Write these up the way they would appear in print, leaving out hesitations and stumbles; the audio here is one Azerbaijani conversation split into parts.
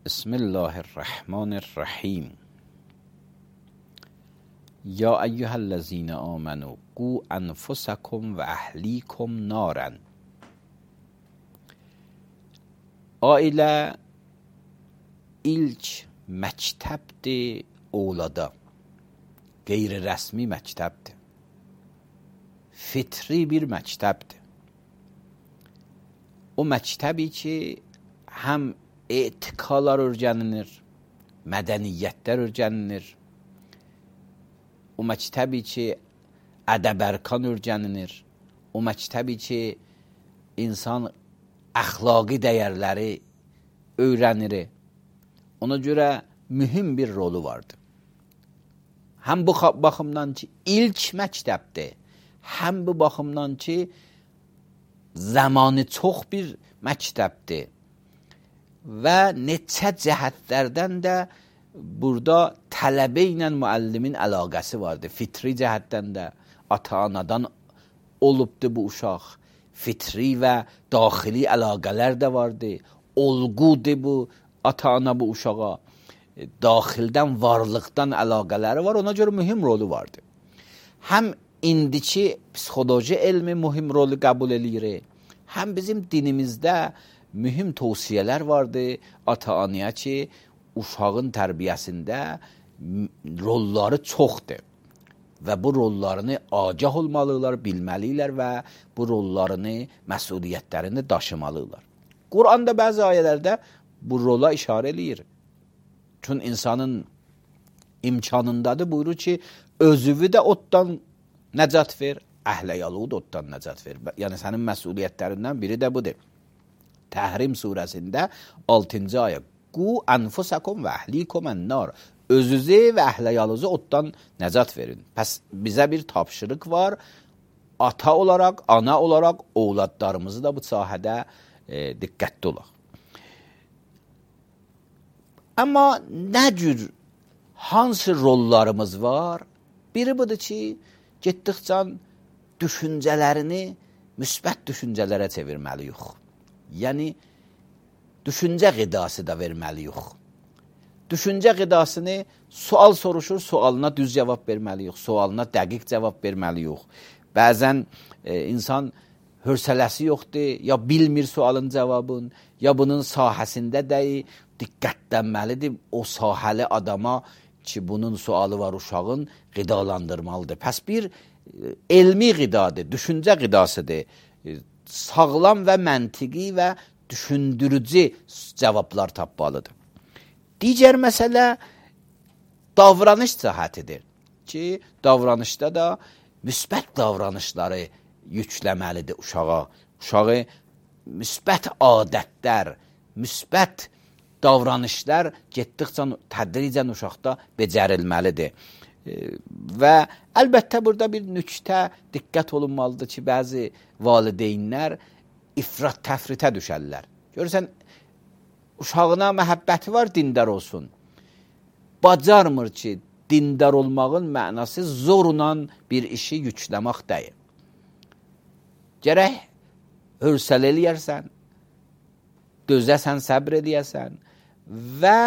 بسم الله الرحمن الرحیم. یا ایها الذین آمنوا قوا انفسکم و اهلیکم نارا. Ailə ilk məktəbdir oğlada. Qeyri-rəsmi məktəbdir. Fitri bir məktəbdir. O məktəbi ki, həm etiqalar öyrənilir, mədəniyyətlər öyrənilir. O məktəbi ki, ədəb-ərkan öyrənilir. O məktəbi ki, insan əxlaqi dəyərləri öyrənir. Ona görə mühüm bir rolu vardır. Həm bu baxımdan ki, ilk məktəbdir, həm bu baxımdan ki, zamanı çox bir məktəbdir. Və neçə cəhətlərdən də burada tələbə ilə müəllimin əlaqəsi vardır. Fitri cəhətdən də ata-anadan olubdur bu uşaq. Fitri və daxili əlaqələr də vardır. Olğudur bu ata-ana bu uşağa. Daxildən, varlıqdan əlaqələri var. Ona görə mühüm rolu vardır. Həm indiki psixoloji elmi mühüm rolu qəbul edir. Həm bizim dinimizdə mühüm tövsiyələr vardır ata-anaya ki, uşağın tərbiyəsində rolları çoxdur. Və bu rollarını agah olmalılar, bilməlidirlər və bu rollarını, məsuliyyətlərini daşımalıdırlar. Quranda bəzi ayələrdə bu rola işarə edir. Çünki insanın imkanındadır, buyurur ki, özüvü də oddan nəcat ver, əhləyalığı da oddan nəcat ver. Yəni, sənin məsuliyyətlərindən biri də budur. Təhrim surəsində 6-cı ayə. Qu ənfusakum və əhlikum ən-nar. Özünüzü və əhləyalınızı oddan nəcat verin. Pəs bizə bir tapşırıq var. Ata olaraq, ana olaraq ovladlarımızı da bu sahədə diqqətli olaq. Amma nə cür, hansı rollarımız var? Biri budur ki, getdikcə düşüncələrini müsbət düşüncələrə çevirməliyik. Yəni, düşüncə qidası da verməliyik. Düşüncə qidasını sual soruşur, sualına düz cavab verməliyik, sualına dəqiq cavab verməliyik. Bəzən insan hövsələsi yoxdur, ya bilmir sualın cavabını, ya bunun sahəsində deyil, diqqətlənməlidir o sahəli adama ki, bunun sualı var uşağın, qidalandırmalıdır. Pəs bir elmi qidadır, düşüncə qidasıdır. Sağlam və məntiqi və düşündürücü cavablar tapmalıdır. Digər məsələ davranış cəhətidir ki, davranışda da müsbət davranışları yükləməlidir uşağa. Uşağı müsbət adətlər, müsbət davranışlar getdikcə tədricən uşaqda becərilməlidir. Və əlbəttə burada bir nüktə diqqət olunmalıdır ki, bəzi valideynlər ifrat təfritə düşərlər. Görürsən, uşağına məhəbbəti var, dindar olsun. Bacarmır ki, dindar olmağın mənası zorla bir işi yükləmək deyil. Gərək hövsələ eləyərsən, dözəsən, səbr eləyəsən və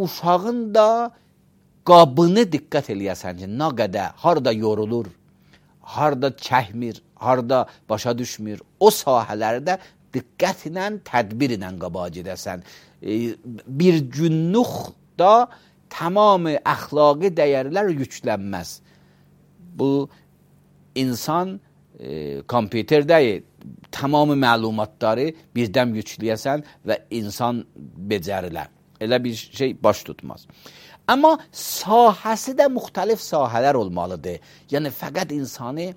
uşağın da qabını diqqət eləyəsən ki, nə qədər, harada yorulur, harada çəkmir, harada başa düşmür, o sahələrdə diqqət ilə, tədbir ilə qabağa gedəsən. Bir günlük da tamamı əxlaqi dəyərlər yüklənməz. Bu, insan kompüterdəyi tamamı məlumatları birdən yükləyəsən və insan becərilər. Elə bir şey baş tutmaz. Amma sahəsi də müxtəlif sahələr olmalıdır. Yəni, fəqət insanı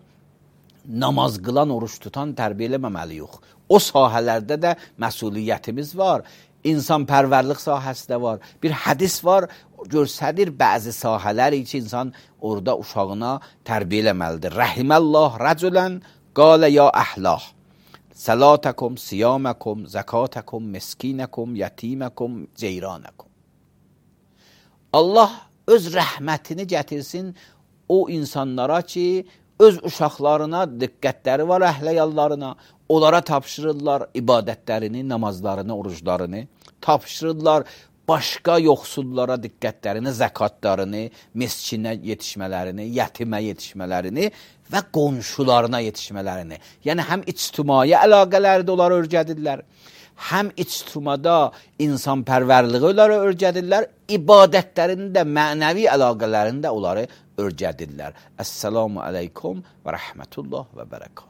namaz qılan, oruç tutan tərbiyə eləməməliyik. O sahələrdə də məsuliyyətimiz var. İnsan pərvərlik sahəsi də var. Bir hədis var, görsədir bəzi sahələri ki, insan orada uşağına tərbiyə eləməlidir. Rəhiməllah rəculən qalə ya əhlah. Sələtəkum, siyaməkum, zəkatəkum, miskinəkum, yətiməkum, ceyranəkum. Allah öz rəhmətini gətirsin o insanlara ki, öz uşaqlarına diqqətləri var, əhləyallarına. Onlara tapşırırlar ibadətlərini, namazlarını, oruclarını. Tapşırırlar başqa yoxsullara diqqətlərini, zəkatlarını, miskinə yetişmələrini, yetimə yetişmələrini və qonşularına yetişmələrini. Yəni həm ictimai əlaqələri də onları öyrədirlər, həm ictimada insanpərvərliyi onları öyrədirlər, ibadətlərini də, mənəvi əlaqələrini də onları öyrədirlər. Əssalamu aleykum və rəhmətullah və bərəkət.